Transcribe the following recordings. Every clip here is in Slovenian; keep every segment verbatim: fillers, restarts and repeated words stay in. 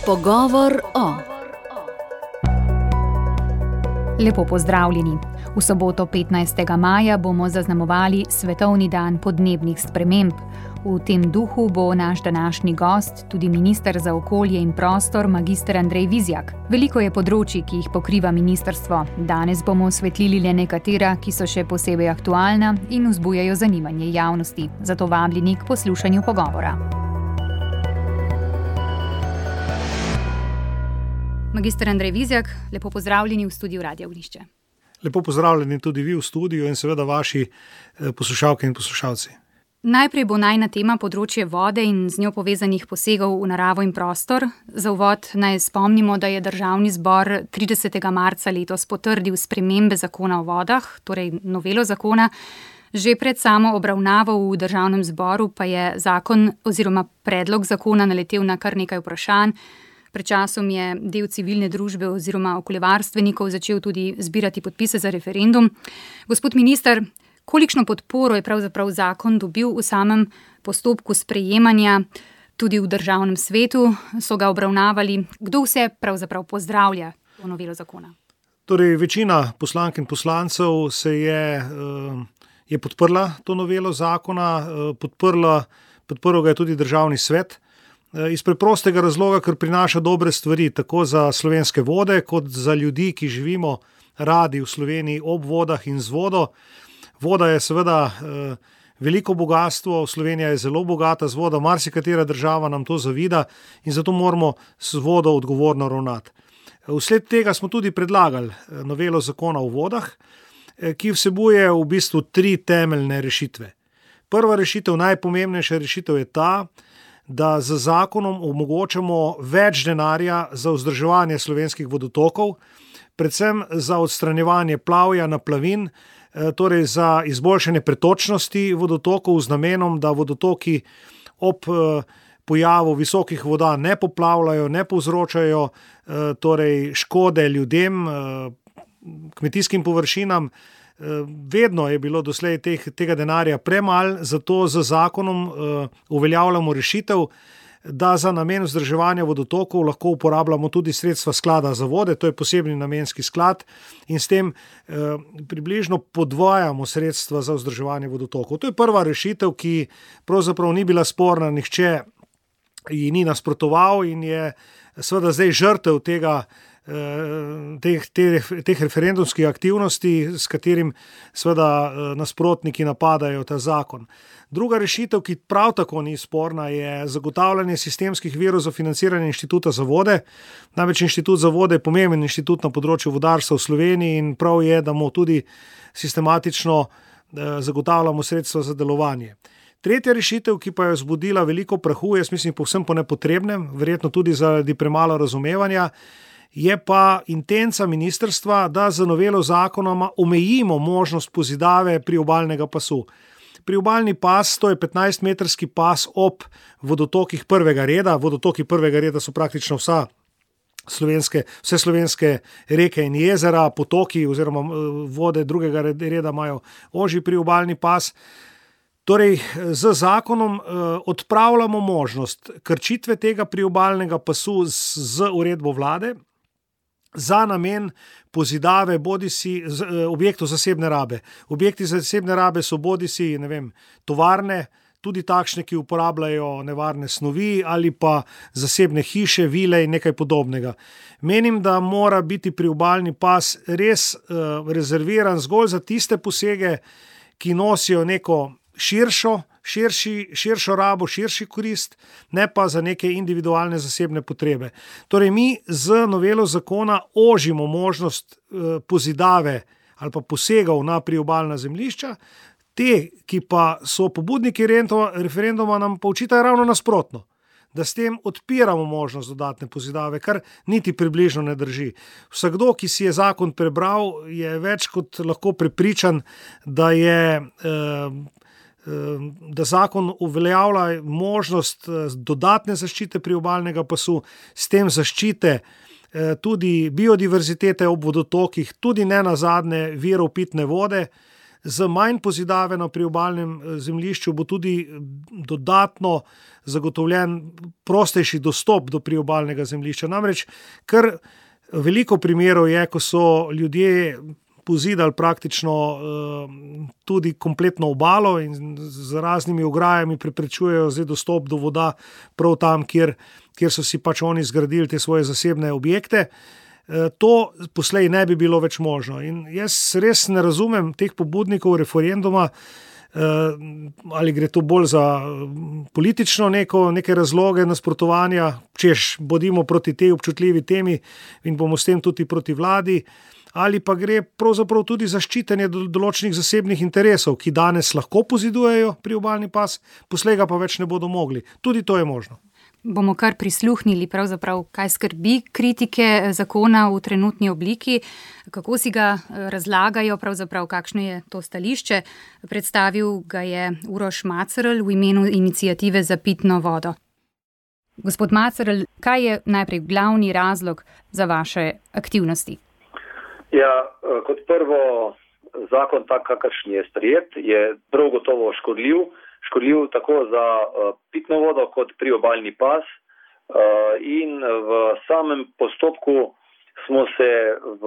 Pogovor o. Lepo pozdravljeni. V soboto petnajstega maja bomo zaznamovali Svetovni dan podnebnih sprememb. V tem duhu bo naš današnji gost tudi minister za okolje in prostor, magister Andrej Vizjak. Veliko je področij, ki jih pokriva ministrstvo. Danes bomo osvetlili le nekatera, ki so še posebej aktualna in vzbujajo zanimanje javnosti. Zato vabljeni k poslušanju pogovora. Magister Andrej Vizjak, lepo pozdravljeni v studiu Radia Ognjišče. Lepo pozdravljeni tudi vi v studiu in seveda vaši poslušalke in poslušalci. Najprej bo najina tema področje vode in z njo povezanih posegov v naravo in prostor. Za uvod naj spomnimo, da je Državni zbor tridesetega marca letos potrdil spremembe zakona o vodah, torej novelo zakona. Že pred samo obravnavo v Državnem zboru pa je zakon oziroma predlog zakona naletel na kar nekaj vprašanj. Pred časom je del civilne družbe oziroma okoljevarstvenikov začel tudi zbirati podpise za referendum. Gospod minister, kolikšno podporo je pravzaprav zakon dobil v samem postopku sprejemanja, tudi v Državnem svetu so ga obravnavali? Kdo vse pravzaprav pozdravlja to novelo zakona? Torej, večina poslank in poslancev se je, je podprla to novelo zakona, podprla, podprl ga je tudi Državni svet. Iz preprostega razloga, ker prinaša dobre stvari, tako za slovenske vode, kot za ljudi, ki živimo radi v Sloveniji ob vodah in z vodo. Voda je seveda eh, veliko bogastvo, Slovenija je zelo bogata z vodo, marsikatera država nam to zavida in zato moramo s vodo odgovorno ravnati. Vsled tega smo tudi predlagali novelo zakona o vodah, ki vsebuje v bistvu tri temeljne rešitve. Prva rešitev, najpomembnejša rešitev je ta, da z zakonom omogočamo več denarja za vzdrževanje slovenskih vodotokov, predvsem za odstranjevanje plavja, naplavin, torej za izboljšanje pretočnosti vodotokov z namenom, da vodotoki ob pojavu visokih voda ne poplavljajo, ne povzročajo torej škode ljudem, kmetijskim površinam. Vedno je bilo doslej teh, tega denarja premalo, zato z zakonom uh, uveljavljamo rešitev, da za namen vzdrževanja vodotokov lahko uporabljamo tudi sredstva sklada za vode, to je posebni namenski sklad in s tem uh, približno podvajamo sredstva za vzdrževanje vodotokov. To je prva rešitev, ki pravzaprav ni bila sporna, nihče ji ni nasprotoval in je seveda zdaj žrtev tega Teh, teh, teh referendumskih aktivnosti, s katerim seveda nasprotniki napadajo ta zakon. Druga rešitev, ki prav tako ni sporna, je zagotavljanje sistemskih virov za financiranje Inštituta za vode. Namreč Inštitut za vode je pomemben inštitut na področju vodarstva v Sloveniji in prav je, da mu tudi sistematično zagotavljamo sredstva za delovanje. Tretja rešitev, ki pa je vzbudila veliko prahu, jaz mislim povsem po nepotrebnem, verjetno tudi zaradi premalo razumevanja, je pa intenca ministrstva, da z novelo zakonoma omejimo možnost pozidave priobalnega pasu. Priobalni pas, to je petnajstmetrski pas ob vodotokih prvega reda. Vodotoki prvega reda so praktično vsa slovenske, vse slovenske reke in jezera, potoki oziroma vode drugega reda imajo ožji priobalni pas. Torej, z zakonom odpravljamo možnost krčitve tega priobalnega pasu z uredbo vlade za namen pozidave bodisi objektov zasebne rabe. Objekti zasebne rabe so bodisi, ne vem, tovarne, tudi takšne, ki uporabljajo nevarne snovi ali pa zasebne hiše, vile in nekaj podobnega. Menim, da mora biti priobalni pas res uh, rezerviran zgolj za tiste posege, ki nosijo neko širšo, širši, širšo rabo, širši korist, ne pa za neke individualne zasebne potrebe. Torej, mi z novelo zakona ožimo možnost eh, pozidave ali pa posegov na priobalna zemljišča, te, ki pa so pobudniki referenduma, nam pa očitajo ravno nasprotno, da s tem odpiramo možnost dodatne pozidave, kar niti približno ne drži. Vsakdo, ki si je zakon prebral, je več kot lahko prepričan, da je eh, da zakon uveljavlja možnost dodatne zaščite priobalnega pasu, s tem zaščite tudi biodiverzitete ob vodotokih, tudi ne nazadnje virov pitne vode. z manj pozidave na priobalnem zemljišču bo tudi dodatno zagotovljen prostejši dostop do priobalnega zemljišča. Namreč kar veliko primerov je, ko so ljudje pozidali praktično tudi kompletno obalo in z raznimi ograjami preprečujejo zdaj dostop do voda prav tam, kjer, kjer so si pač oni zgradili te svoje zasebne objekte. To poslej ne bi bilo več možno. In jaz res ne razumem teh pobudnikov referenduma, ali gre to bolj za politično neko, neke razloge nasprotovanja, češ bodimo proti tej občutljivi temi in bomo s tem tudi proti vladi, ali pa gre pravzaprav tudi za ščitenje določenih zasebnih interesov, ki danes lahko pozidujejo priobalni pas, poslej ga pa več ne bodo mogli. Tudi to je možno. Bomo kar prisluhnili pravzaprav, kaj skrbi kritike zakona v trenutni obliki, kako si ga razlagajo, pravzaprav kakšno je to stališče. Predstavil ga je Uroš Macerl v imenu iniciative za pitno vodo. Gospod Macerl, kaj je najprej glavni razlog za vaše aktivnosti? Ja, kot prvo, zakon tak, kakršen je sprejet, je prav gotovo škodljiv. škodljiv tako za uh, pitno vodo kot priobalni pas uh, in v samem postopku smo se v,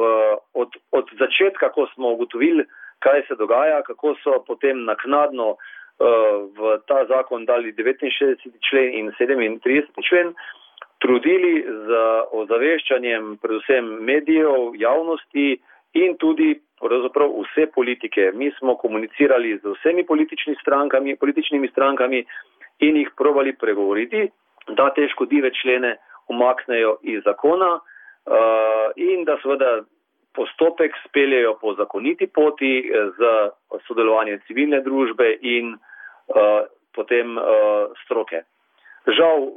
od, od začetka, ko smo ugotovili, kaj se dogaja, kako so potem naknadno uh, v ta zakon dali devetinšestdeseti člen in sedemintrideseti člen, trudili z ozaveščanjem predvsem medijev, javnosti in tudi pravzaprav vse politike. Mi smo komunicirali z vsemi političnimi strankami, političnimi strankami in jih probali pregovoriti, da te škodljive člene umaknejo iz zakona uh, in da seveda postopek speljejo po zakoniti poti z sodelovanjem civilne družbe in uh, potem uh, stroke. Žal uh,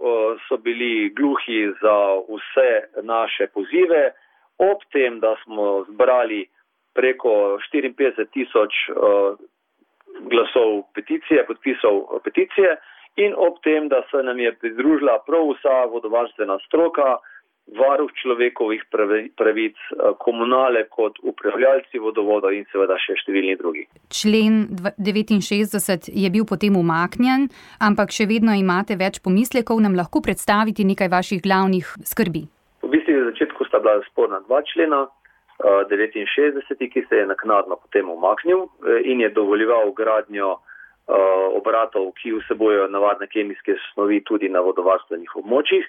so bili gluhi za vse naše pozive, ob tem, da smo zbrali preko štiriinpetdeset tisoč uh, glasov peticije, podpisov peticije in ob tem, da se nam je pridružila prav vsa vodovarstvena stroka, varuh človekovih pravic, komunale kot upravljalci vodovoda in seveda še številni drugi. Člen devetinšestdeset je bil potem umaknjen, ampak še vedno imate več pomislekov, nam lahko predstaviti nekaj vaših glavnih skrbi? V bistvu v začetku sta bila sporna dva člena, devetinšestdeseti, ki se je naknadno potem umaknil in je dovoljeval gradnjo obratov, ki vsebojo navadne kemijske snovi tudi na vodovarstvenih območjih,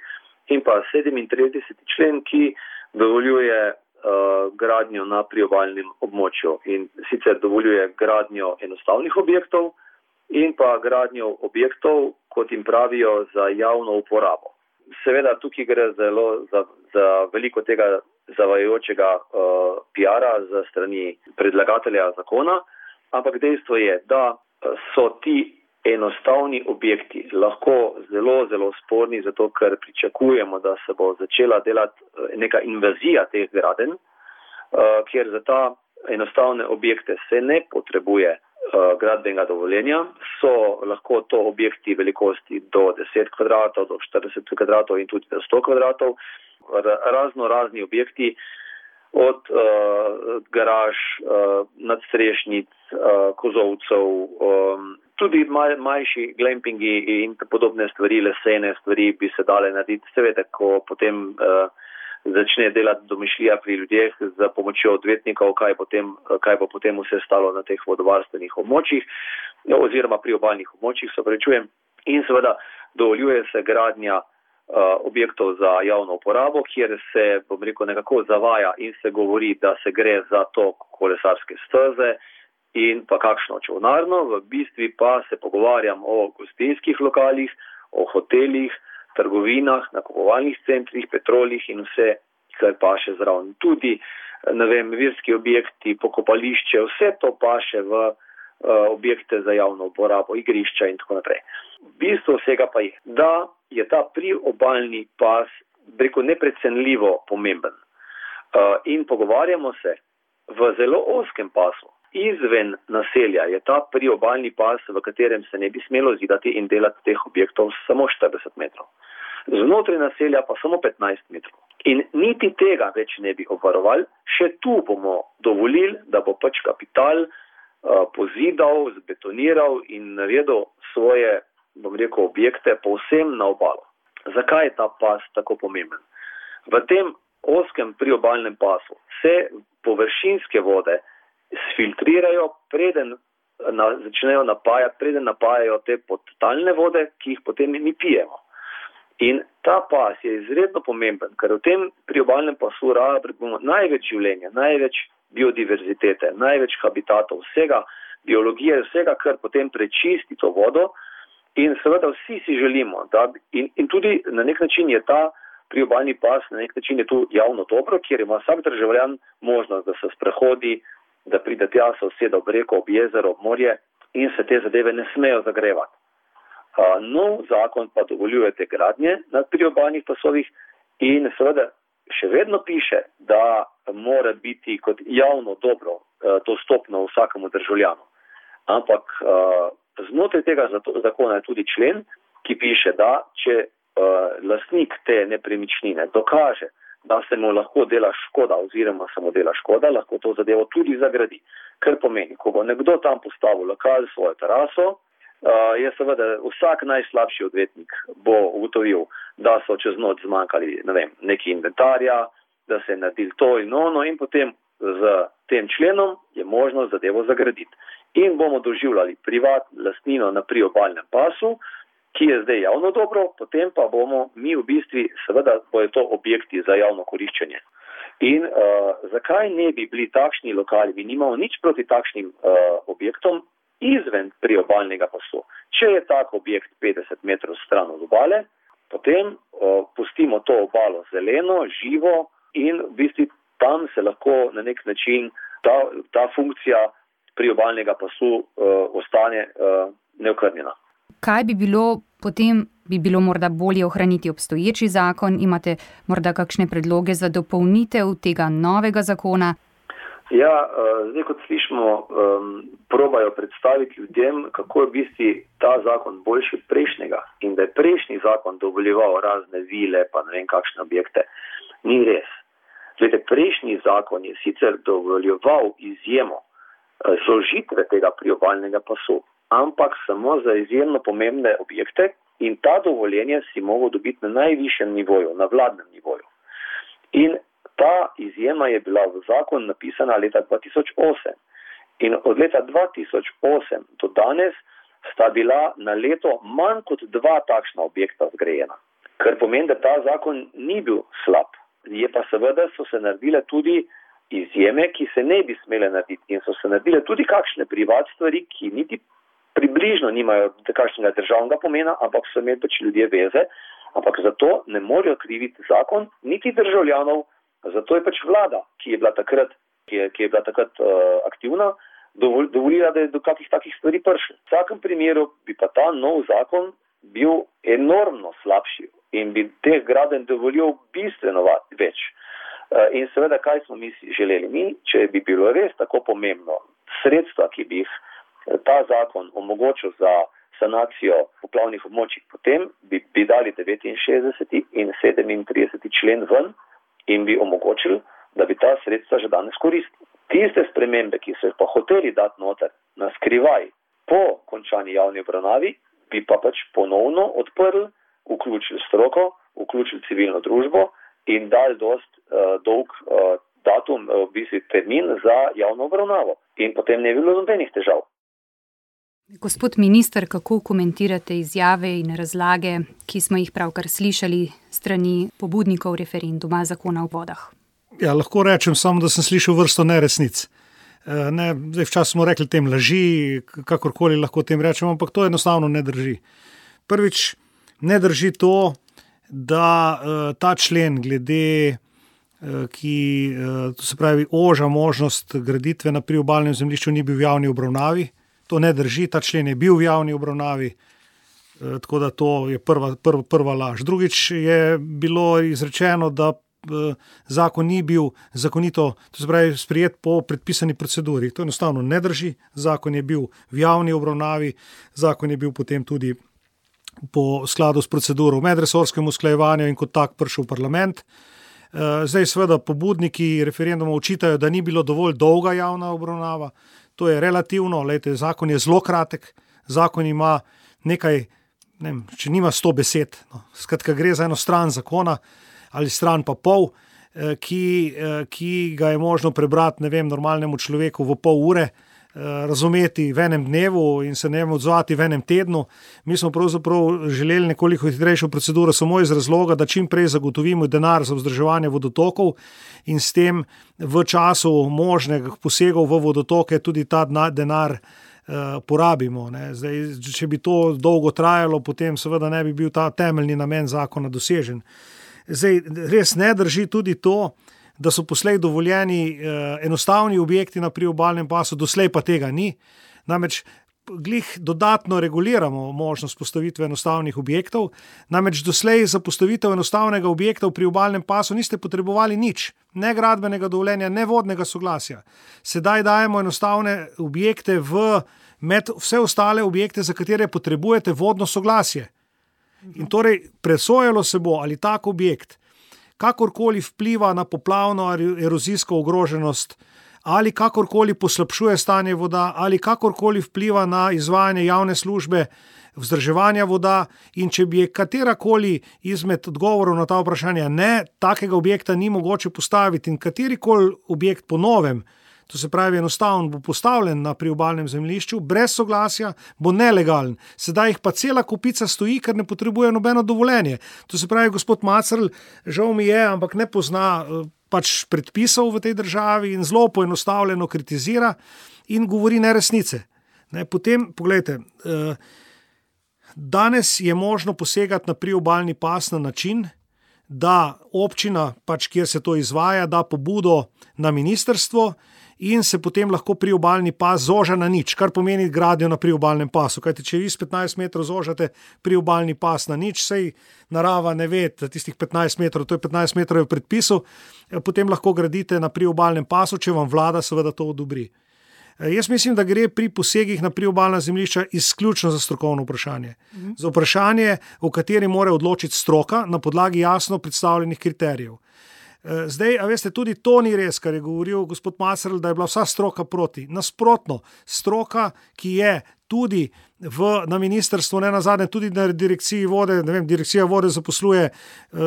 in pa sedemintrideseti člen, ki dovoljuje uh, gradnjo na priobalnem območju in sicer dovoljuje gradnjo enostavnih objektov in pa gradnjo objektov, kot jim pravijo, za javno uporabo. Seveda tukaj gre zelo za, za veliko tega zavajajočega uh, P R-a za strani predlagatelja zakona, ampak dejstvo je, da so ti enostavni objekti lahko zelo, zelo sporni, zato ker pričakujemo, da se bo začela delati neka invazija teh gradenj, uh, kjer za ta enostavne objekte se ne potrebuje uh, gradbenega dovoljenja, so lahko to objekti velikosti do deset kvadratov, do štirideset kvadratov in tudi do sto kvadratov, razno razni objekti, od uh, garaž, uh, nadstrešnic, uh, kozovcev, um, tudi maj, manjši glampingi in podobne stvari, lesene stvari bi se dale narediti. Seveda, ko potem uh, začne delati domišljija pri ljudeh za pomočjo odvetnikov, kaj, potem, kaj bo potem vse stalo na teh vodovarstvenih območjih oziroma priobalnih območjih, se prečujem. In seveda dovoljuje se gradnja Uh, objektov za javno uporabo, kjer se, bom rekel, nekako zavaja in se govori, da se gre za to kolesarske steze in pa kakšno čolnarno, v bistvu pa se pogovarjam o gostinskih lokalih, o hotelih, trgovinah, nakupovalnih centrih, petrolih in vse, kar paše zraven. Tudi, ne vem, verski objekti, pokopališče, vse to paše v uh, objekte za javno uporabo, igrišča in tako naprej. Bistvo vsega pa je, da je ta priobalni pas, preko neprecenljivo pomemben. Uh, in pogovarjamo se v zelo ozkem pasu. Izven naselja je ta priobalni pas, v katerem se ne bi smelo zidati in delati teh objektov samo štirideset metrov. Znotraj naselja pa samo petnajst metrov. In niti tega več ne bi obvarovali, še tu bomo dovolili, da bo pač kapital pozidal, zbetoniral in naredil svoje, bom rekel, objekte povsem na obalo. Zakaj je ta pas tako pomemben? V tem ozkem priobalnem pasu se površinske vode sfiltrirajo, preden na, začnejo napajati, preden napajajo te podtalne vode, ki jih potem mi pijemo. In ta pas je izredno pomemben, ker v tem priobalnem pasu rabimo največ življenja, največ biodiverzitete, največ habitatov, vsega, biologije, vsega, kar potem prečisti to vodo. In seveda vsi si želimo, da in, in tudi na nek način je ta priobalni pas, na nek način je tu javno dobro, kjer ima vsak državljan možnost, da se sprehodi, da pride tja, se usede ob reko, ob jezero, ob morje in se te zadeve ne smejo zagrevati. Uh, nov zakon pa dovoljuje te gradnje na priobalnih pasovih in seveda še vedno piše, da mora biti kot javno dobro uh, dostopno vsakemu državljanu. Ampak uh, znotraj tega zakona je tudi člen, ki piše, da če uh, lastnik te nepremičnine dokaže, da se mu lahko dela škoda oziroma se mu dela škoda, lahko to zadevo tudi zagradi. Kar pomeni, ko bo nekdo tam postavil lokal, svojo teraso, uh, je seveda vsak najslabši odvetnik bo ugotovil, da so čez noč zmanjkali, ne vem, neki inventarja, da se je naredil to in ono in potem z tem členom je možno zadevo zagraditi. In bomo doživljali privat lastnino na priobalnem pasu, ki je zdaj javno dobro, potem pa bomo mi v bistvu, seveda bojo to objekti za javno koriščenje. In uh, zakaj ne bi bili takšni lokali, mi nimamo nič proti takšnim uh, objektom izven priobalnega pasu. Če je tak objekt petdeset metrov stran od obale, potem uh, pustimo to obalo zeleno, živo in v bistvu tam se lahko na nek način ta, ta funkcija priobalnega pasu uh, ostane uh, neokrnjena. Kaj bi bilo potem, bi bilo morda bolje ohraniti obstoječi zakon? Imate morda kakšne predloge za dopolnitev tega novega zakona? Ja, zdaj kot slišimo, um, probajo predstaviti ljudem, kako je v bistvu ta zakon boljši od prejšnjega in da je prejšnji zakon dovoljeval razne vile pa ne vem kakšne objekte. Ni res. Zdaj, prejšnji zakon je sicer dovoljeval izjemo zožitve tega priobalnega pasu, ampak samo za izjemno pomembne objekte in ta dovoljenje si mogel dobiti na najvišjem nivoju, na vladnem nivoju. In ta izjema je bila v zakon napisana leta dva tisoč osem in od leta dva tisoč osem do danes sta bila na leto manj kot dva takšna objekta zgrajena. Kar pomeni, da ta zakon ni bil slab. Je pa seveda so se naredile tudi izjeme, ki se ne bi smele narediti in so se naredile tudi kakšne privat stvari, ki niti približno nimajo takšnega državnega pomena, ampak so imeli pač ljudje veze, ampak zato ne morejo kriviti zakon, niti državljanov, zato je pač vlada, ki je bila takrat, ki je, ki je bila takrat uh, aktivna, dovol, dovolila, da je do kakih takih stvari prišlo. V vsakem primeru bi pa ta nov zakon bil enormno slabši in bi teh gradenj dovolil bistveno več. Uh, in seveda, kaj smo mi želeli? Mi, če bi bilo res tako pomembno, sredstva, ki bi jih ta zakon omogočil za sanacijo poplavnih območij, potem bi, bi dali devetinšestdeseti in sedemintrideseti člen ven in bi omogočili, da bi ta sredstva že danes koristili. Tiste spremembe, ki so jih pa hoteli dati noter na skrivaj po končani javni obravnavi, bi pa pač ponovno odprli, vključili stroko, vključili civilno družbo in dali dost uh, dolg uh, datum, v bistvu termin za javno obravnavo. In potem ne bi bilo nobenih težav. Gospod minister, kako komentirate izjave in razlage, ki smo jih pravkar slišali strani pobudnikov referenduma zakona o vodah? Ja, lahko rečem samo, da sem slišal vrsto neresnic. Ne, zdaj včasih smo rekli tem laži, kakorkoli lahko tem rečemo, ampak to enostavno ne drži. Prvič, ne drži to, da ta člen glede, ki to se pravi oža možnost graditve na priobalnem zemljišču ni bil v javni obravnavi. To ne drži, ta člen je bil v javni obravnavi, tako da to je prva, prva, prva laž. Drugič je bilo izrečeno, da zakon ni bil zakonito, to se pravi sprejet po predpisani proceduri. To enostavno ne drži, zakon je bil v javni obravnavi, zakon je bil potem tudi po skladu s proceduro v medresorskem usklajevanju in kot tak prišel v parlament. Zdaj seveda pobudniki referenduma očitajo, da ni bilo dovolj dolga javna obravnava. to je relativno, lejte, zakon je zelo kratek, zakon ima nekaj, ne vem, če nima sto besed, no, skratka gre za eno stran zakona ali stran pa pol, ki, ki ga je možno prebrati, ne vem, normalnemu človeku v pol ure, razumeti v enem dnevu in se ne odzvati v enem tednu. Mi smo pravzaprav želeli nekoliko hitrejšo proceduro samo iz razloga, da čim prej zagotovimo denar za vzdrževanje vodotokov in s tem v času možnih posegov v vodotoke tudi ta denar uh, porabimo. Ne. Zdaj, če bi to dolgo trajalo, potem seveda ne bi bil ta temeljni namen zakona dosežen. Zdaj, res ne drži tudi to, da so poslej dovoljeni eh, enostavni objekti na priobalnem pasu, doslej pa tega ni. Namreč glih dodatno reguliramo možnost postavitve enostavnih objektov, namreč doslej za postavitev enostavnega objekta v priobalnem pasu niste potrebovali nič, ne gradbenega dovoljenja, ne vodnega soglasja. Sedaj dajemo enostavne objekte v med vse ostale objekte, za katere potrebujete vodno soglasje. In torej presojalo se bo, ali tak objekt kakorkoli vpliva na poplavno erozijsko ogroženost, ali kakorkoli poslabšuje stanje voda, ali kakorkoli vpliva na izvajanje javne službe vzdrževanja voda, in če bi katerakoli izmed odgovorov na ta vprašanja ne, takega objekta ni mogoče postaviti in katerikoli objekt po novem, to se pravi enostavno, bo postavljen na priobalnem zemljišču, brez soglasja, bo nelegalen. Sedaj jih pa cela kupica stoji, ker ne potrebuje nobeno dovoljenje. To se pravi, gospod Macerl, žal mi je, ampak ne pozna pač predpisov v tej državi in zelo poenostavljeno kritizira in govori neresnice. Ne, potem, pogledajte, danes je možno posegati na priobalni pas na način, da občina, pač kjer se to izvaja, da pobudo na ministrstvo in se potem lahko priobalni pas zoža na nič, kar pomeni gradnjo na priobalnem pasu. Kajte, če vi s petnajst metrov zožate priobalni pas na nič, sej narava ne ve, tistih petnajst metrov, to je petnajst metrov v predpisu, potem lahko gradite na priobalnem pasu, če vam vlada seveda to odobri. Jaz mislim, da gre pri posegih na priobalna zemljišča izključno za strokovno vprašanje. Mhm. Za vprašanje, o kateri mora odločiti stroka na podlagi jasno predstavljenih kriterijev. Zdaj, a veste, tudi to ni res, kar je govoril gospod Macerl, da je bila vsa stroka proti. Nasprotno, stroka, ki je tudi v, na ministrstvu, ne nazadnje, tudi na direkciji vode, ne vem, direkcija vode zaposluje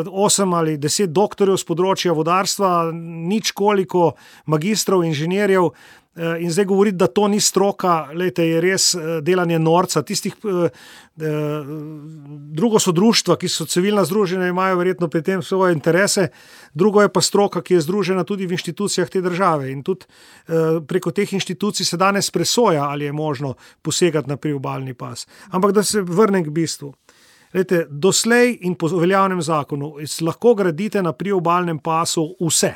osem ali deset doktorjev z področja vodarstva, nič koliko magistrov, inženirjev, in zdaj govoriti, da to ni stroka, lejte, je res delanje norca. Tistih, drugo so društva, ki so civilna združenja, imajo verjetno pri tem svoje interese, drugo je pa stroka, ki je združena tudi v inštitucijah te države in tudi preko teh inštitucij se danes presoja, ali je možno posegati na priobalni pas. Ampak da se vrnem k bistvu. Lejte, doslej in po veljavnem zakonu lahko gradite na priobalnem pasu vse.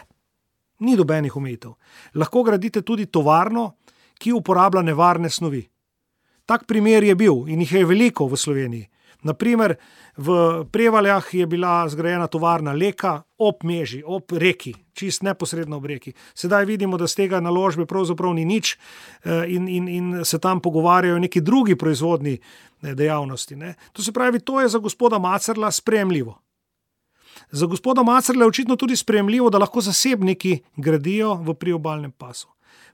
Ni dobenih omejitev. Lahko gradite tudi tovarno, ki uporablja nevarne snovi. Tak primer je bil in jih je veliko v Sloveniji. Naprimer, v Prevaljah je bila zgrajena tovarna Leka ob Meži, ob reki, čist neposredno ob reki. Sedaj vidimo, da z tega naložbe pravzaprav ni nič in, in, in se tam pogovarjajo neki drugi proizvodni dejavnosti. Ne. To se pravi, to je za gospoda Macerla sprejemljivo. Za gospoda Macerla je očitno tudi sprejemljivo, da lahko zasebniki gradijo v priobalnem pasu.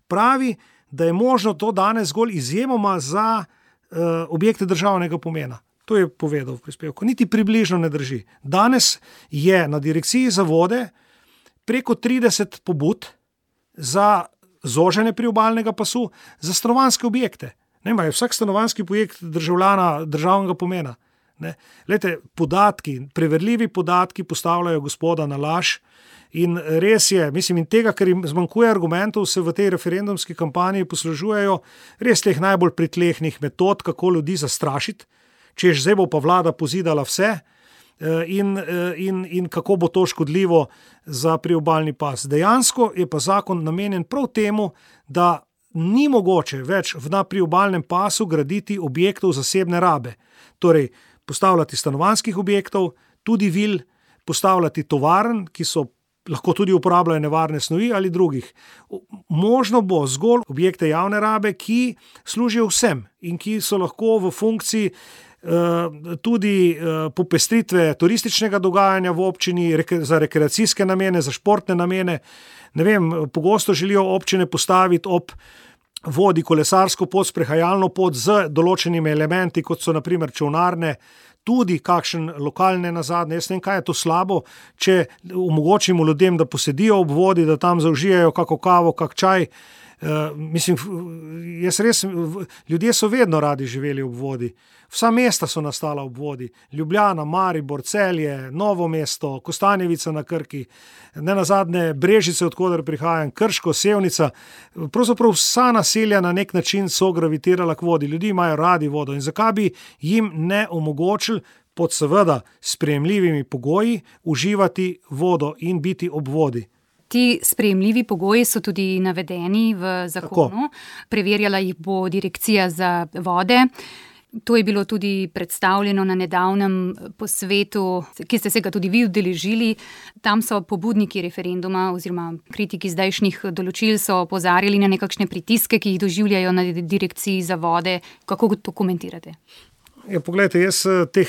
Pravi, da je možno to danes zgolj izjemoma za uh, objekte državnega pomena. To je povedal v prispevku. Niti približno ne drži. Danes je na direkciji za vode preko trideset pobud za zoženje priobalnega pasu za stanovanjske objekte. Ne, je vsak stanovanjski projekt državljana državnega pomena. Ne. Lejte, podatki, preverljivi podatki postavljajo gospoda na laž in res je, mislim, in tega, ker jim zmanjkuje argumentov, se v tej referendumski kampanji poslužujejo res teh najbolj pritlehnih metod, kako ljudi zastrašiti, češ zdaj bo pa vlada pozidala vse in, in, in kako bo to škodljivo za priobalni pas. Dejansko je pa zakon namenjen prav temu, da ni mogoče več na priobalnem pasu graditi objektov zasebne rabe. Torej, postavljati stanovanjskih objektov, tudi vil, postavljati tovarn, ki so lahko tudi uporabljajo nevarne snovi ali drugih. Možno bo zgolj objekte javne rabe, ki služijo vsem in ki so lahko v funkciji uh, tudi uh, popestritve turističnega dogajanja v občini, reke, za rekreacijske namene, za športne namene. Ne vem, pogosto želijo občine postaviti ob vodi kolesarsko pot, sprehajalno pot z določenimi elementi, kot so naprimer čolnarne, tudi kakšen lokalne nazadnje. Jaz ne vem, kaj je to slabo, če omogočimo ljudem, da posedijo ob vodi, da tam zaužijajo kako kavo, kak čaj. Uh, mislim, jaz res, ljudje so vedno radi živeli ob vodi. Vsa mesta so nastala ob vodi. Ljubljana, Maribor, Celje, Novo mesto, Kostanjevica na Krki, nenazadnje Brežice, odkoder prihajam, Krško, Sevnica. Pravzaprav vsa naselja na nek način so gravitirala k vodi. Ljudje imajo radi vodo in zakaj bi jim ne omogočili pod seveda sprejemljivimi pogoji uživati vodo in biti ob vodi. Ti sprejemljivi pogoji so tudi navedeni v zakonu. Tako. Preverjala jih bo Direkcija za vode. To je bilo tudi predstavljeno na nedavnem posvetu, ki ste se ga tudi vi udeležili. Tam so pobudniki referenduma oziroma kritiki zdajšnjih določil so opozarjali na nekakšne pritiske, ki jih doživljajo na Direkciji za vode. Kako to komentirate? Ja, poglejte, jaz teh,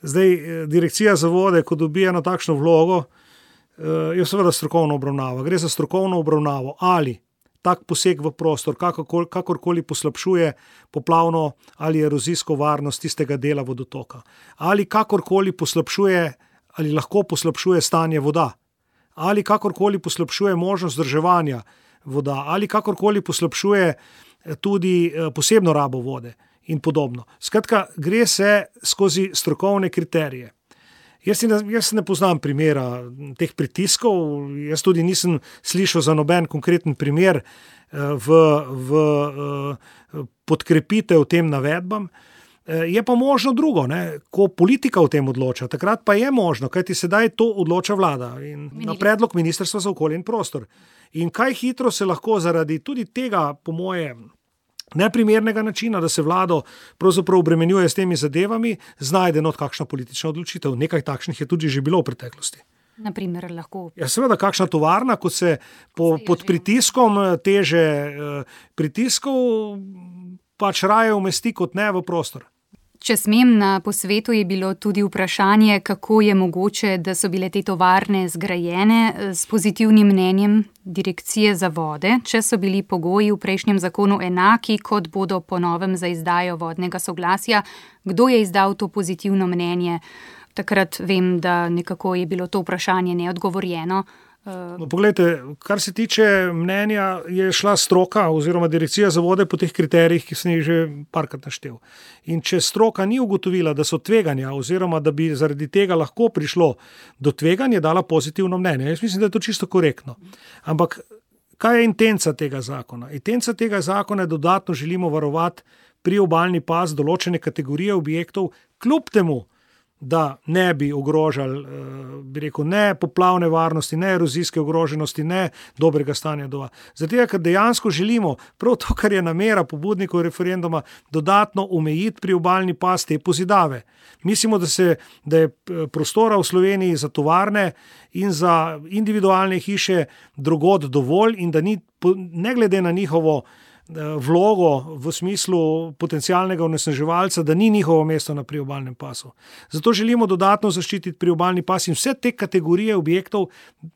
zdaj Direkcija za vode, ko dobi eno takšno vlogo, je seveda strokovno obravnava. Gre za strokovno obravnavo, ali tak poseg v prostor kakor, kakorkoli poslabšuje poplavno ali erozijsko varnost tistega dela vodotoka, ali kakorkoli poslabšuje ali lahko poslabšuje stanje voda, ali kakorkoli poslabšuje možnost vzdrževanja voda, ali kakorkoli poslabšuje tudi posebno rabo vode in podobno. Skratka, gre se skozi strokovne kriterije. Jaz, jaz ne poznam primera teh pritiskov, jaz tudi nisem slišal za noben konkreten primer v, v podkrepitev tem navedbam. Je pa možno drugo, ne? Ko politika o tem odloča, takrat pa je možno, kajti sedaj to odloča vlada in na predlog Ministrstva za okolje in prostor. In kaj hitro se lahko zaradi tudi tega, po moje, neprimernega načina, da se vlado pravzaprav obremenjuje s temi zadevami, znajde not kakšna politična odločitev. Nekaj takšnih je tudi že bilo v preteklosti. Naprimer, lahko. Ja, seveda, kakšna tovarna, ko se po, pod pritiskom teže pritiskov pač raje umesti kot ne v prostor. Če smem, na posvetu je bilo tudi vprašanje, kako je mogoče, da so bile te tovarne zgrajene s pozitivnim mnenjem Direkcije za vode, če so bili pogoji v prejšnjem zakonu enaki, kot bodo po novem za izdajo vodnega soglasja. Kdo je izdal to pozitivno mnenje? Takrat vem, da nekako je bilo to vprašanje neodgovorjeno. No, poglejte, kar se tiče mnenja, je šla stroka oziroma Direkcija za vode po teh kriterijih, ki sem jih že parkrat naštel. In če stroka ni ugotovila, da so tveganja oziroma da bi zaradi tega lahko prišlo do tveganja, je dala pozitivno mnenje. Jaz mislim, da je to čisto korektno. Ampak kaj je intenca tega zakona? Intenca tega zakona je dodatno želimo varovati priobalni pas določene kategorije objektov, kljub temu, da ne bi ogrožali, bi rekel, ne poplavne varnosti, ne erozijske ogroženosti, ne dobrega stanja voda. Zato, ker dejansko želimo prav to, kar je namera pobudnikov referenduma, dodatno omejiti priobalni pas te pozidave. Mislimo, da, se, da je prostora v Sloveniji za tovarne in za individualne hiše drugod dovolj in da ni, ne glede na njihovo vlogo v smislu potencialnega onesnaževalca, da ni njihovo mesto na priobalnem pasu. Zato želimo dodatno zaščititi priobalni pas in vse te kategorije objektov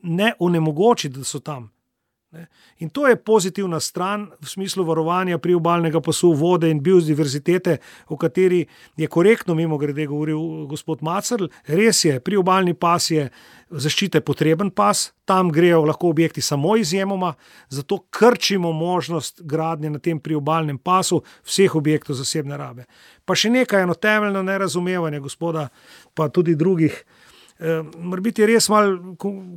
ne onemogočiti, da so tam. In to je pozitivna stran v smislu varovanja priobalnega pasu, vode in biodiverzitete, o kateri je korektno mimogrede govoril gospod Macerl. Res je, priobalni pas je zaščite potreben pas, tam grejo lahko objekti samo izjemoma, zato krčimo možnost gradnje na tem priobalnem pasu vseh objektov zasebne rabe. Pa še nekaj, eno temeljno nerazumevanje gospoda, pa tudi drugih. Mora biti res malo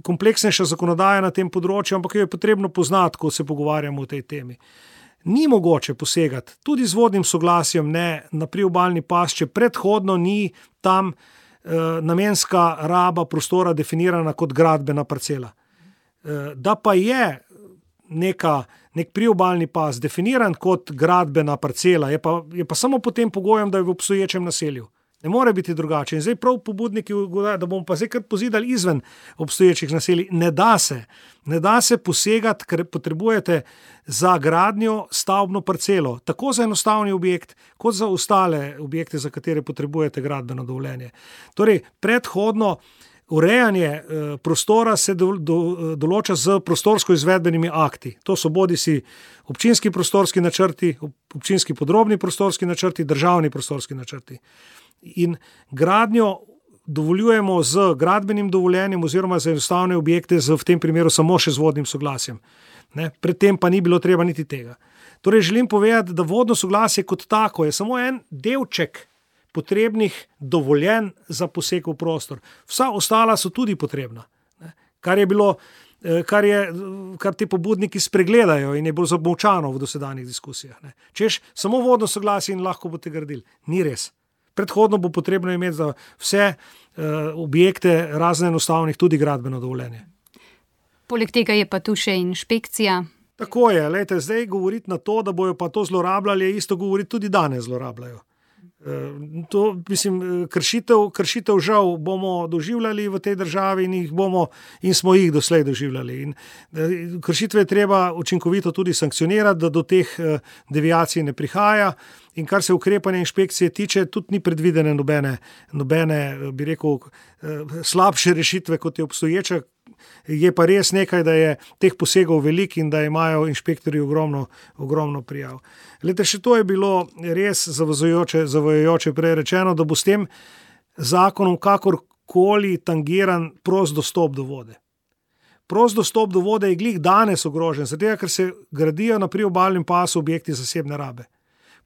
kompleksnejša zakonodaja na tem področju, ampak jo je potrebno poznati, ko se pogovarjamo o tej temi. Ni mogoče posegati, tudi z vodnim soglasjem ne, na priobalni pas, če predhodno ni tam eh, namenska raba prostora definirana kot gradbena parcela. Eh, da pa je neka, nek priobalni pas definiran kot gradbena parcela, je pa, je pa samo pod tem pogojem, da je v obstoječem naselju. Ne more biti drugače. In zdaj prav pobudniki, da bomo pa zdaj kar pozidali izven obstoječih naselij. Ne da se. Ne da se posegati, ker potrebujete za gradnjo stavbno parcelo. Tako za enostavni objekt, kot za ostale objekte, za katere potrebujete gradbeno dovoljenje. Torej, predhodno urejanje prostora se do, do, določa z prostorsko izvedbenimi akti. To so bodisi občinski prostorski načrti, občinski podrobni prostorski načrti, državni prostorski načrti. In gradnjo dovoljujemo z gradbenim dovoljenjem oziroma za enostavne objekte z v tem primeru samo še z vodnim soglasjem. Ne? Predtem pa ni bilo treba niti tega. Torej želim povedati, da vodno soglasje kot tako je samo en delček potrebnih dovoljen za poseg v prostor. Vsa ostala so tudi potrebna. Ne? Kar je bilo, kar, je, kar te pobudniki spregledajo in je bilo zamolčano v dosedanjih diskusijah. Ne? Češ, samo vodno soglasje in lahko boste gradili. Ni res. Predhodno bo potrebno imeti za vse uh, objekte razne enostavnih tudi gradbeno dovoljenje. Poleg tega je pa tu še inšpekcija. Tako je, lejte, zdaj govoriti na to, da bojo pa to zlorabljali, je isto govoriti tudi danes zlorabljajo. To, mislim, kršitev, kršitev žal bomo doživljali v tej državi in, jih bomo, in smo jih doslej doživljali. In kršitve je treba učinkovito tudi sankcionirati, da do teh deviacij ne prihaja. In kar se ukrepanja inšpekcije tiče, tudi ni predvidene nobene, nobene, bi rekel, slabše rešitve, kot je obstoječa. Je pa res nekaj, da je teh posegov velik in da imajo inšpektorji ogromno, ogromno prijav. Lete, še to je bilo res zavajajoče, zavajajoče prej rečeno, da bo s tem zakonom kakorkoli tangiran prost dostop do vode. Prost dostop do vode je glih danes ogrožen, zato ker se gradijo na priobalnem pasu objekti zasebne rabe.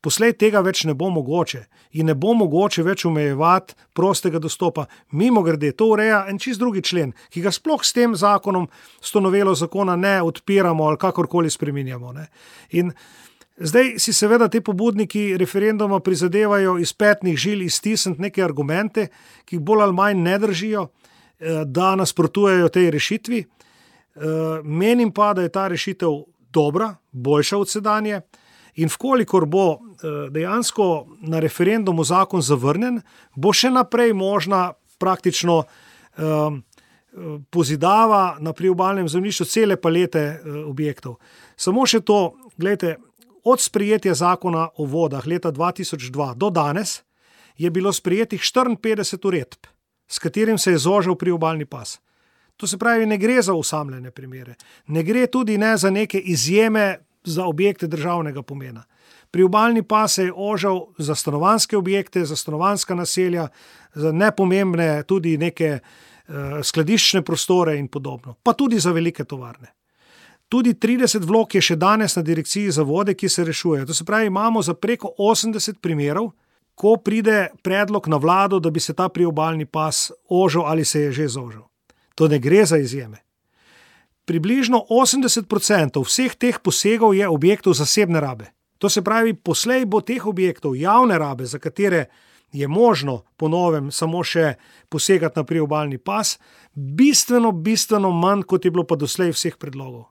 Poslej tega več ne bo mogoče in ne bo mogoče več omejevati prostega dostopa. Mimogrede, to ureja en čist drugi člen, ki ga sploh s tem zakonom, s to novelo zakona ne odpiramo ali kakorkoli spreminjamo. Ne. In zdaj si seveda te pobudniki referenduma prizadevajo iz petnih žil iztisniti neke argumente, ki bolj ali manj ne držijo, da nasprotujejo tej rešitvi. Menim pa, da je ta rešitev dobra, boljša od sedanje. In vkolikor bo dejansko na referendumu zakon zavrnjen, bo še naprej možna praktično um, pozidava na priobalnem zemljišču cele palete uh, objektov. Samo še to, gledajte, od sprejetja zakona o vodah leta dva tisoč dva do danes je bilo sprejetih štiriinpetdeset uredb, s katerim se je zožil priobalni pas. To se pravi, ne gre za osamljene primere, ne gre tudi ne za neke izjeme za objekte državnega pomena. Priobalni pas se je ožal za stanovanjske objekte, za stanovanjska naselja, za nepomembne tudi neke uh, skladiščne prostore in podobno, pa tudi za velike tovarne. Tudi trideset vlog je še danes na direkciji za vode, ki se rešujejo. To se pravi, imamo za preko osemdeset primerov, ko pride predlog na vlado, da bi se ta priobalni pas ožal ali se je že zožal. To ne gre za izjeme. Približno osemdeset procentov vseh teh posegov je objektov zasebne rabe. To se pravi, poslej bo teh objektov javne rabe, za katere je možno po novem samo še posegati na priobalni pas, bistveno, bistveno manj, kot je bilo pa doslej vseh predlogov.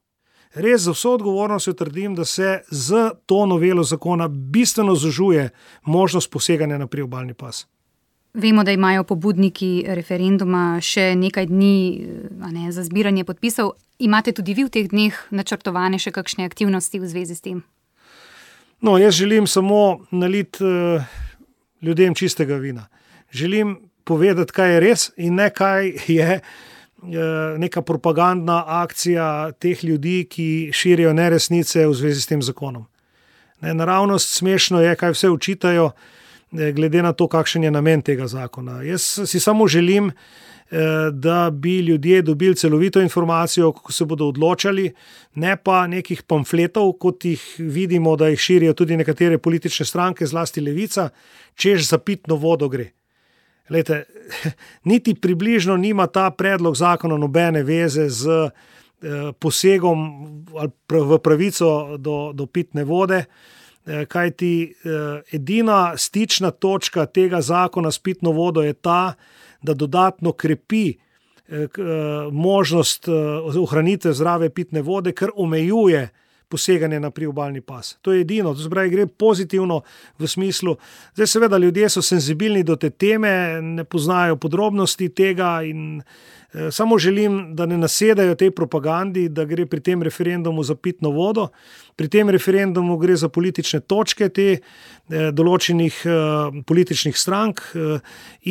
Res za vso odgovornostjo trdim, da se z to novelo zakona bistveno zožuje možnost poseganja na priobalni pas. Vemo, da imajo pobudniki referenduma še nekaj dni a ne, za zbiranje podpisov. Imate tudi vi v teh dneh načrtovane še kakšne aktivnosti v zvezi s tem? No, jaz želim samo naliti uh, ljudem čistega vina. Želim povedati, kaj je res in ne kaj je uh, neka propagandna akcija teh ljudi, ki širijo neresnice v zvezi s tem zakonom. Ne, naravnost smešno je, kaj vse učitajo, glede na to, kakšen je namen tega zakona. Jaz si samo želim, da bi ljudje dobili celovito informacijo, kako se bodo odločali, ne pa nekih pamfletov, kot jih vidimo, da jih širijo tudi nekatere politične stranke, zlasti Levica, češ za pitno vodo gre. Lejte, niti približno nima ta predlog zakona nobene veze z posegom v pravico do, do pitne vode, kajti edina stična točka tega zakona s pitno vodo je ta, da dodatno krepi možnost ohranitve zdrave pitne vode, ker omejuje poseganje na priobalni pas. To je edino, to se pravi, gre pozitivno v smislu. Zdaj seveda ljudje so senzibilni do te teme, ne poznajo podrobnosti tega in eh, samo želim, da ne nasedajo tej propagandi, da gre pri tem referendumu za pitno vodo. Pri tem referendumu gre za politične točke te eh, določenih eh, političnih strank eh,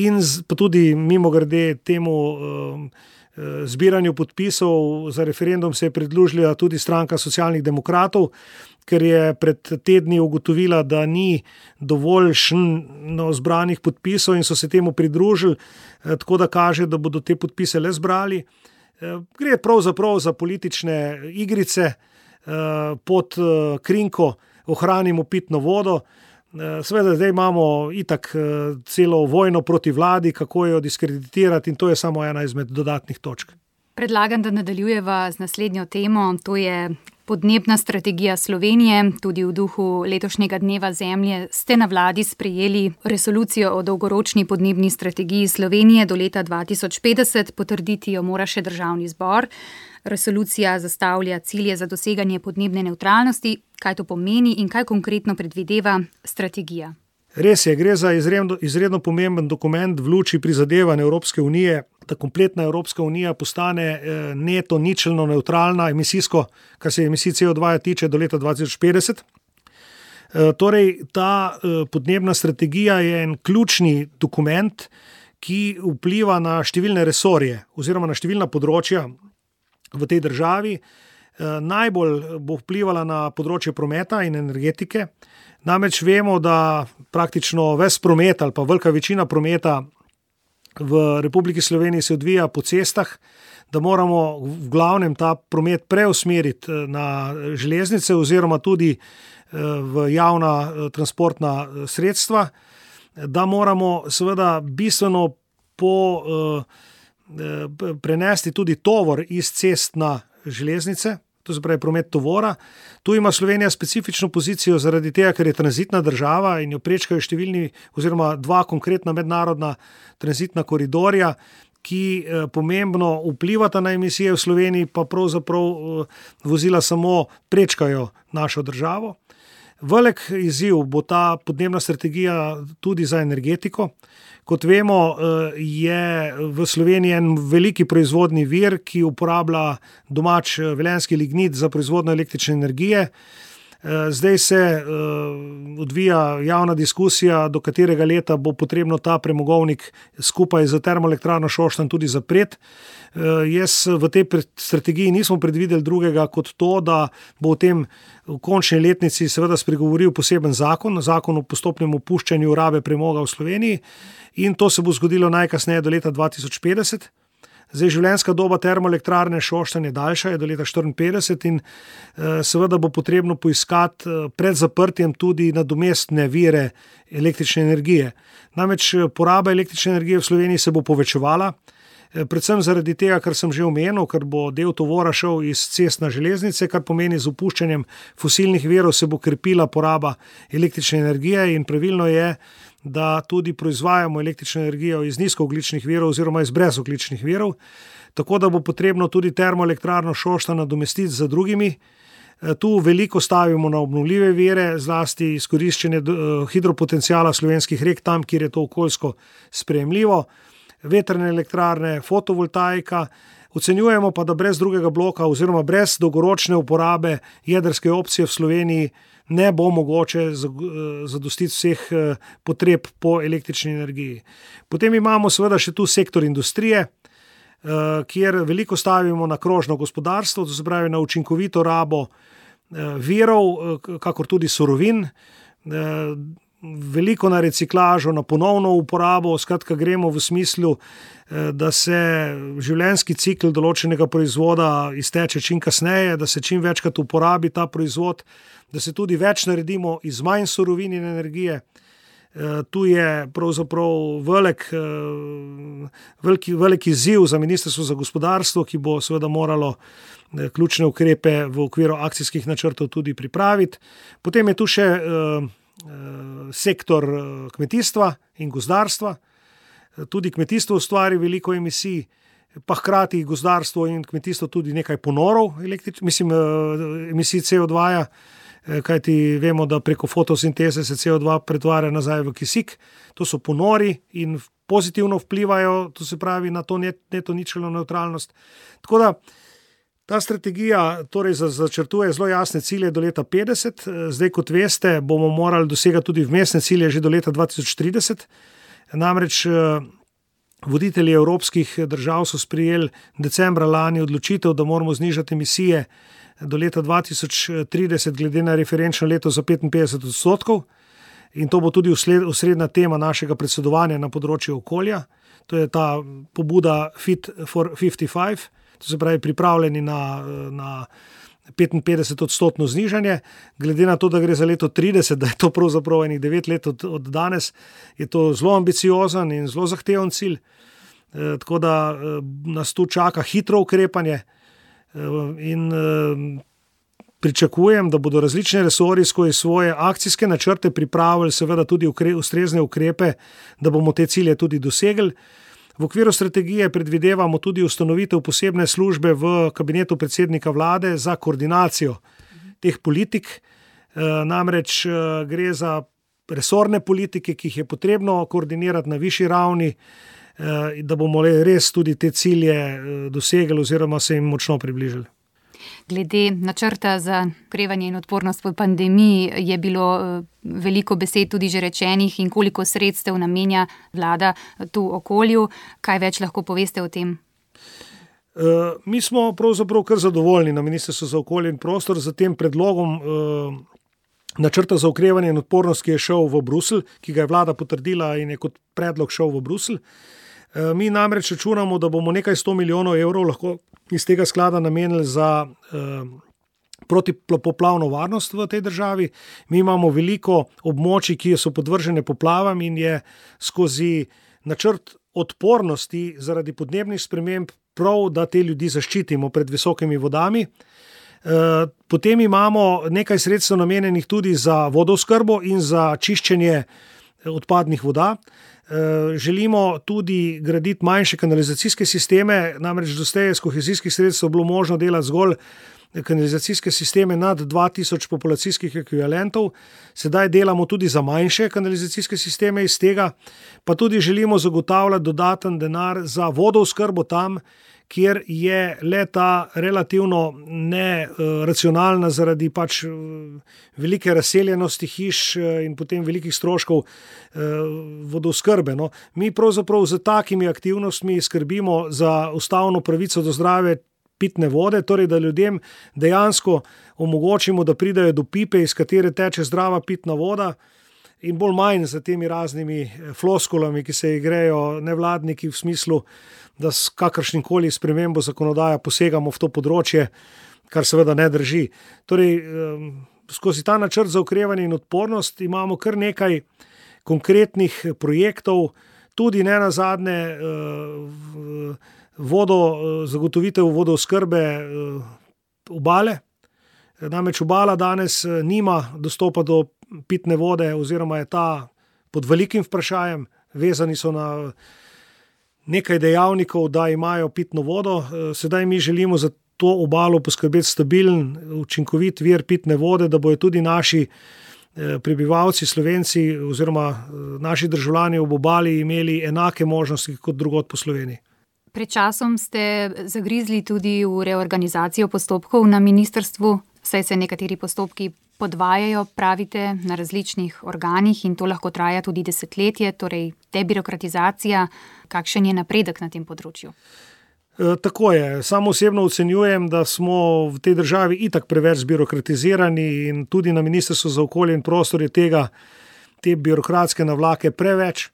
in z, pa tudi mimogrede temu eh, zbiranju podpisov za referendum se je pridružila tudi stranka Socialnih demokratov, ker je pred tedni ugotovila, da ni dovoljšno zbranih podpisov in so se temu pridružili, tako da kaže, da bodo te podpise le zbrali. Gre pravzaprav za politične igrice pod krinko ohranimo pitno vodo. Seveda zdaj imamo itak celo vojno proti vladi, kako jo diskreditirati in to je samo ena izmed dodatnih točk. Predlagam, da nadaljujeva z naslednjo temo, to je podnebna strategija Slovenije. Tudi v duhu letošnjega dneva zemlje ste na vladi sprejeli resolucijo o dolgoročni podnebni strategiji Slovenije do leta dva tisoč petdeset, potrditi jo mora še državni zbor. Resolucija zastavlja cilje za doseganje podnebne nevtralnosti. Kaj to pomeni in kaj konkretno predvideva strategija? Res je, gre za izredno, izredno pomemben dokument v luči prizadevanj Evropske unije, da kompletna Evropska unija postane neto ničelno nevtralna emisijsko, kar se emisij C O dva tiče, do leta dva tisoč petdeset. Torej, ta podnebna strategija je en ključni dokument, ki vpliva na številne resorje oziroma na številna področja v tej državi. Najbolj bo vplivala na področje prometa in energetike. Namreč vemo, da praktično ves promet ali pa velika večina prometa v Republiki Sloveniji se odvija po cestah, da moramo v glavnem ta promet preusmeriti na železnice oziroma tudi v javna transportna sredstva, da moramo seveda bistveno po prenesti tudi tovor iz cest na železnice, to se pravi promet tovora. Tu ima Slovenija specifično pozicijo zaradi tega, ker je tranzitna država in jo prečkajo številni oziroma dva konkretna mednarodna tranzitna koridorja, ki pomembno vplivata na emisije v Sloveniji, pa pravzaprav vozila samo prečkajo našo državo. Velik izziv bo ta podnebna strategija tudi za energetiko. Kot vemo, je v Sloveniji en veliki proizvodni vir, ki uporablja domač velenjski lignit za proizvodnjo električne energije. Zdaj se odvija javna diskusija, do katerega leta bo potrebno ta premogovnik skupaj z termoelektrarno Šoštanj tudi zapreti. Jaz v tej strategiji nismo predvideli drugega kot to, da bo v tem v končni letnici seveda spregovoril poseben zakon, zakon o postopnem opuščanju rabe premoga v Sloveniji, in to se bo zgodilo najkasneje do leta dva tisoč petdeset. Zdaj, življenjska doba termoelektrarne Šoštanj je daljša, je do leta štiriinpetdeset in seveda bo potrebno poiskati pred zaprtjem tudi nadomestne vire električne energije. Namreč poraba električne energije v Sloveniji se bo povečevala, predvsem zaradi tega, kar sem že omenil, ker bo del tovora šel iz cest na železnice, kar pomeni z opuščanjem fosilnih virov se bo krepila poraba električne energije in pravilno je, da tudi proizvajamo električno energijo iz nizkoogljičnih virov oziroma iz brezogljičnih virov, tako da bo potrebno tudi termoelektrarno Šoštanj nadomestiti z drugimi. Tu veliko stavimo na obnovljive vire, zlasti izkoriščenje hidropotenciala slovenskih rek tam, kjer je to okoljsko sprejemljivo, vetrne elektrarne, fotovoltaika. Ocenjujemo pa, da brez drugega bloka oziroma brez dolgoročne uporabe jedrske opcije v Sloveniji ne bo mogoče zadostiti vseh potreb po električni energiji. Potem imamo seveda še tu sektor industrije, kjer veliko stavimo na krožno gospodarstvo, to se pravi na učinkovito rabo virov, kakor tudi surovin, veliko na reciklažo, na ponovno uporabo, skratka gremo v smislu, da se življenjski cikel določenega proizvoda izteče čim kasneje, da se čim večkrat uporabi ta proizvod, da se tudi več naredimo iz manj surovin in energije. Tu je pravzaprav velik, veliki, veliki izziv za Ministrstvo za gospodarstvo, ki bo seveda moralo ključne ukrepe v okviru akcijskih načrtov tudi pripraviti. Potem je tu še sektor kmetijstva in gozdarstva. Tudi kmetijstvo ustvari veliko emisij pa hkrati gozdarstvo in kmetijstvo tudi nekaj ponorov, mislim, emisij C O dva, kajti vemo, da preko fotosinteze se C O dva pretvarja nazaj v kisik. To so ponori in pozitivno vplivajo, to se pravi, na to neto ničelno nevtralnost. Tako da ta strategija torej začrtuje zelo jasne cilje do leta petdeset. Zdaj, kot veste, bomo morali dosegati tudi vmesne cilje že do leta dva tisoč trideset. Namreč voditelji evropskih držav so sprejeli decembra lani odločitev, da moramo znižati emisije do leta dva tisoč trideset glede na referenčno leto za petinpetdeset odstotkov. In to bo tudi osrednja tema našega predsedovanja na področju okolja. To je ta pobuda Fit for petdeset pet, to se pravi pripravljeni na, na petinpetdeset odstotno znižanje. Glede na to, da gre za leto trideset, da je to pravzaprav enih devet let od, od danes, je to zelo ambiciozen in zelo zahteven cilj. E, tako da e, nas tu čaka hitro ukrepanje e, in e, pričakujem, da bodo različne resorji skozi svoje akcijske načrte pripravili seveda tudi ukre, ustrezne ukrepe, da bomo te cilje tudi dosegli. V okviru strategije predvidevamo tudi ustanovitev posebne službe v kabinetu predsednika vlade za koordinacijo teh politik. E, namreč e, gre za resorne politike, ki jih je potrebno koordinirati na višji ravni, e, da bomo res tudi te cilje dosegli oziroma se jim močno približali. Glede načrta za okrevanje in odpornost po pandemiji je bilo veliko besed tudi že rečenih in koliko sredstev namenja vlada tu okolju. Kaj več lahko poveste o tem? Uh, mi smo pravzaprav kar zadovoljni na Ministrstvu za okolje in prostor za tem predlogom uh, načrta za okrevanje in odpornost, ki je šel v Bruselj, ki ga je vlada potrdila in je kot predlog šel v Bruselj. Uh, mi namreč računamo, da bomo nekaj sto milijonov evrov lahko iz tega sklada namenili za uh, protipoplavno varnost v tej državi. Mi imamo veliko območij, ki so podvržene poplavam in je skozi načrt odpornosti zaradi podnebnih sprememb prav, da te ljudi zaščitimo pred visokimi vodami. Potem imamo nekaj sredstev namenjenih tudi za vodooskrbo in za čiščenje odpadnih voda. Želimo tudi graditi manjše kanalizacijske sisteme, namreč doslej s kohezijskih sredstev bilo možno delati zgolj kanalizacijske sisteme nad dva tisoč populacijskih ekvivalentov. Sedaj delamo tudi za manjše kanalizacijske sisteme iz tega, pa tudi želimo zagotavljati dodaten denar za vodooskrbo tam, kjer je leta relativno neracionalna zaradi pač velike razseljenosti hiš in potem velikih stroškov vodooskrbe. No, mi pravzaprav z takimi aktivnostmi skrbimo za ustavno pravico do zdrave pitne vode, torej da ljudem dejansko omogočimo, da pridajo do pipe, iz katere teče zdrava pitna voda, in bolj manj za temi raznimi floskulami, ki se igrejo nevladniki v smislu, da s kakršnikoli spremembo zakonodaja posegamo v to področje, kar seveda ne drži. Torej, skozi ta načrt za okrevanje in odpornost imamo kar nekaj konkretnih projektov, tudi ne nazadnje vodo, zagotovitev vodooskrbe obale. Namreč obala danes nima dostopa do pitne vode oziroma je ta pod velikim vprašajem, vezani so na nekaj dejavnikov, da imajo pitno vodo. Sedaj mi želimo za to obalo poskrbeti stabilen, učinkovit vir pitne vode, da bojo tudi naši prebivalci, Slovenci oziroma naši državljani ob obali imeli enake možnosti kot drugod po Sloveniji. Pred časom ste zagrizli tudi v reorganizacijo postopkov na ministrstvu, saj se nekateri postopki podvajajo, pravite, na različnih organih in to lahko traja tudi desetletje, torej debirokratizacija. Kakšen je napredek na tem področju? E, tako je. Samo osebno ocenjujem, da smo v tej državi itak preveč zbirokratizirani in tudi na Ministrstvu za okolje in prostor je tega, te birokratske navlake preveč.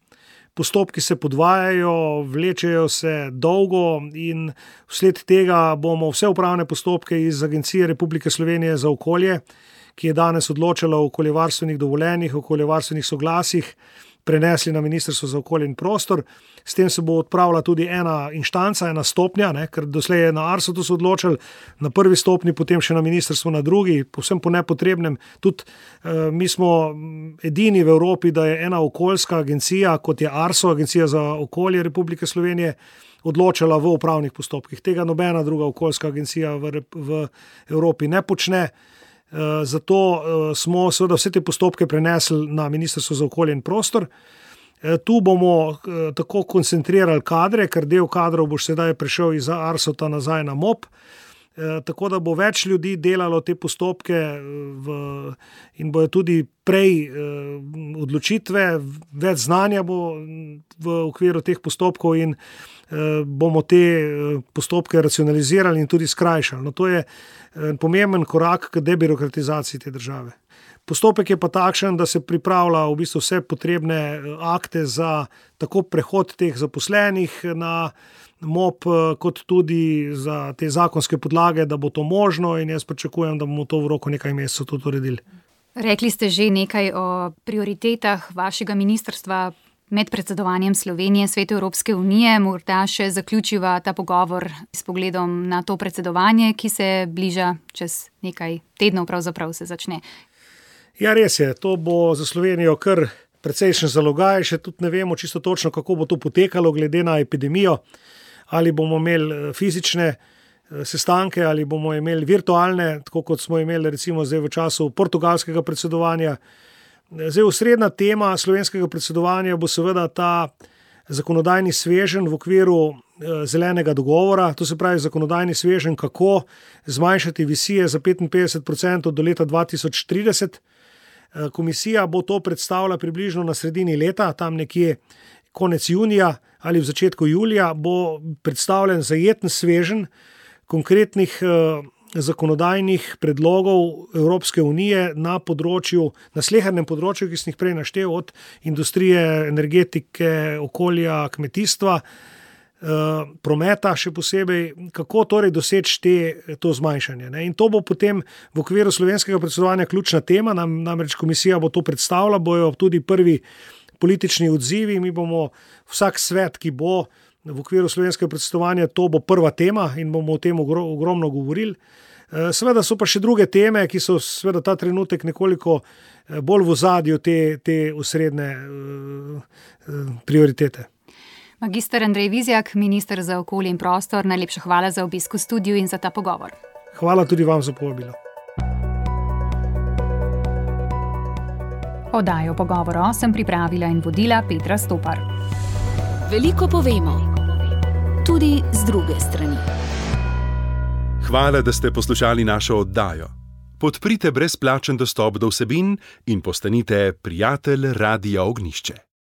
Postopki se podvajajo, vlečejo se dolgo in vsled tega bomo vse upravne postopke iz Agencije Republike Slovenije za okolje, ki je danes odločala o okoljevarstvenih dovoljenjih, o okoljevarstvenih soglasjih, prenesli na Ministrstvo za okolje in prostor. S tem se bo odpravila tudi ena inštanca, ena stopnja, ne, ker doslej je na Arsu to se odločili, na prvi stopni, potem še na ministrstvu na drugi, povsem po nepotrebnem. Tudi eh, mi smo edini v Evropi, da je ena okoljska agencija, kot je Arso, Agencija za okolje Republike Slovenije, odločala v upravnih postopkih. Tega nobena druga okoljska agencija v, v Evropi ne počne. Eh, zato eh, smo seveda vse te postopke prenesli na Ministrstvo za okolje in prostor. Tu bomo tako koncentrirali kadre, ker del kadrov bo sedaj prišel iz Arsota nazaj na M O P, tako da bo več ljudi delalo te postopke v, in bojo tudi prej odločitve, več znanja bo v okviru teh postopkov in bomo te postopke racionalizirali in tudi skrajšali. No, to je pomemben korak k debirokratizaciji te države. Postopek je pa takšen, da se pripravlja v bistvu vse potrebne akte za tako prehod teh zaposlenih na M O P, kot tudi za te zakonske podlage, da bo to možno in jaz pričakujem, da bomo to v roku nekaj mesecev tudi uredili. Rekli ste že nekaj o prioritetah vašega ministrstva med predsedovanjem Slovenije Svetu Evropske unije. Morda še zaključiva ta pogovor s pogledom na to predsedovanje, ki se bliža čez nekaj tednov, pravzaprav se začne. Ja, res je, to bo za Slovenijo kar precejšen zalogaj, še tudi ne vemo čisto točno, kako bo to potekalo glede na epidemijo, ali bomo imeli fizične sestanke, ali bomo imeli virtualne, tako kot smo imeli recimo zdaj v času portugalskega predsedovanja. Zdaj osrednja tema slovenskega predsedovanja bo seveda ta zakonodajni sveženj v okviru zelenega dogovora, to se pravi zakonodajni sveženj, kako zmanjšati emisije za petinpetdeset procentov do leta dva tisoč trideset. Komisija bo to predstavila približno na sredini leta, tam nekje konec junija ali v začetku julija bo predstavljen zajeten sveženj konkretnih eh, zakonodajnih predlogov Evropske unije na področju, na slehernem področju, ki sem jih prej naštel, od industrije, energetike, okolja, kmetijstva, prometa še posebej, kako torej doseči te, to zmanjšanje. Ne? In to bo potem v okviru slovenskega predsedovanja ključna tema, nam, namreč komisija bo to predstavila, bojo tudi prvi politični odzivi, mi bomo vsak svet, ki bo v okviru slovenskega predsedovanja, to bo prva tema in bomo o tem ogromno govorili. Seveda so pa še druge teme, ki so seveda ta trenutek nekoliko bolj v ozadju te, te osrednje prioritete. Magister Andrej Vizjak, minister za okolje in prostor, najlepša hvala za obisk v studiu in za ta pogovor. Hvala tudi vam za povabilo. Oddajo Pogovor sem pripravila in vodila Petra Stopar. Veliko povemo, tudi z druge strani. Hvala, da ste poslušali našo oddajo. Podprite brezplačen dostop do vsebin in postanite prijatelj Radia Ognjišče.